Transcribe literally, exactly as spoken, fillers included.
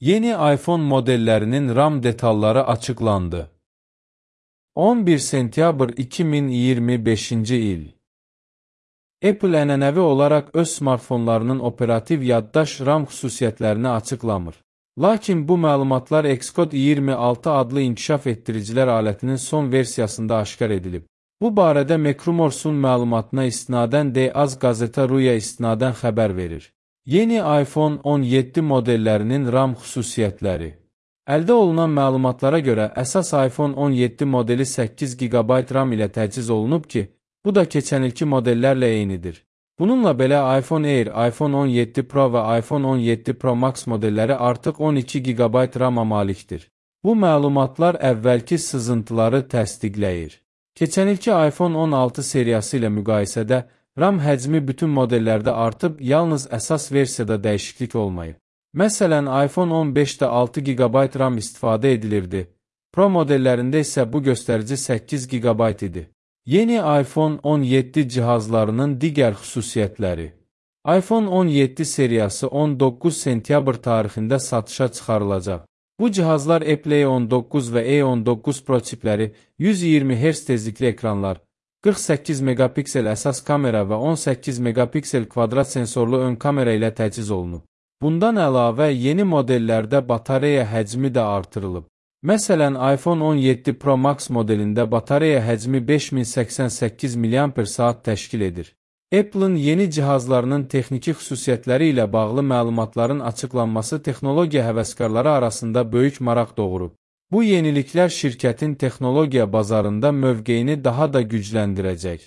Yeni iPhone modellərinin RAM detalları açıqlandı. on bir sentyabr iki min iyirmi beşinci il. Apple ənənəvi olaraq öz smartfonlarının operativ yaddaş RAM xüsusiyyətlərini açıqlamır. Lakin bu məlumatlar Xcode iyirmi altı adlı inkişaf etdiricilər alətinin son versiyasında aşkar edilib. Bu barədə Macrumorsun məlumatına istinadən The Az Gazeta Ruya istinadən xəbər verir. Yeni iPhone on yeddi modellərinin RAM xüsusiyyətləri. Əldə olunan məlumatlara görə əsas iPhone on yeddi modeli səkkiz giqabayt RAM ilə təchiz olunub ki, bu da keçən ilki modellərlə eynidir. Bununla belə iPhone Air, iPhone on yeddi Pro və iPhone on yeddi Pro Max modelləri artıq on iki giqabayt RAM-a malikdir. Bu məlumatlar əvvəlki sızıntıları təsdiqləyir. Keçən ilki iPhone on altı seriyası ilə müqayisədə RAM həcmi bütün modellərdə artıb, yalnız əsas versiyada dəyişiklik olmayıb. Məsələn, iPhone on beşdə altı giqabayt RAM istifadə edilirdi. Pro modellərində isə bu göstərici səkkiz giqabayt idi. Yeni iPhone on yeddi cihazlarının digər xüsusiyyətləri. iPhone on yeddi seriyası on doqquz sentyabr tarixində satışa çıxarılacaq. Bu cihazlar Apple A on doqquz və A on doqquz Pro çipləri, yüz iyirmi hertz tezlikli ekranlar, qırx səkkiz megapiksel əsas kamera və on səkkiz megapiksel kvadrat sensorlu ön kamera ilə təchiz olunub. Bundan əlavə, yeni modellərdə batareya həcmi də artırılıb. Məsələn, iPhone on yeddi Pro Max modelində batareya həcmi beş min səksən səkkiz milliamper saat təşkil edir. Apple'ın yeni cihazlarının texniki xüsusiyyətləri ilə bağlı məlumatların açıqlanması texnologiya həvəskarları arasında böyük maraq doğurub. Bu yeniliklər şirkətin texnologiya bazarında mövqeyini daha da gücləndirəcək.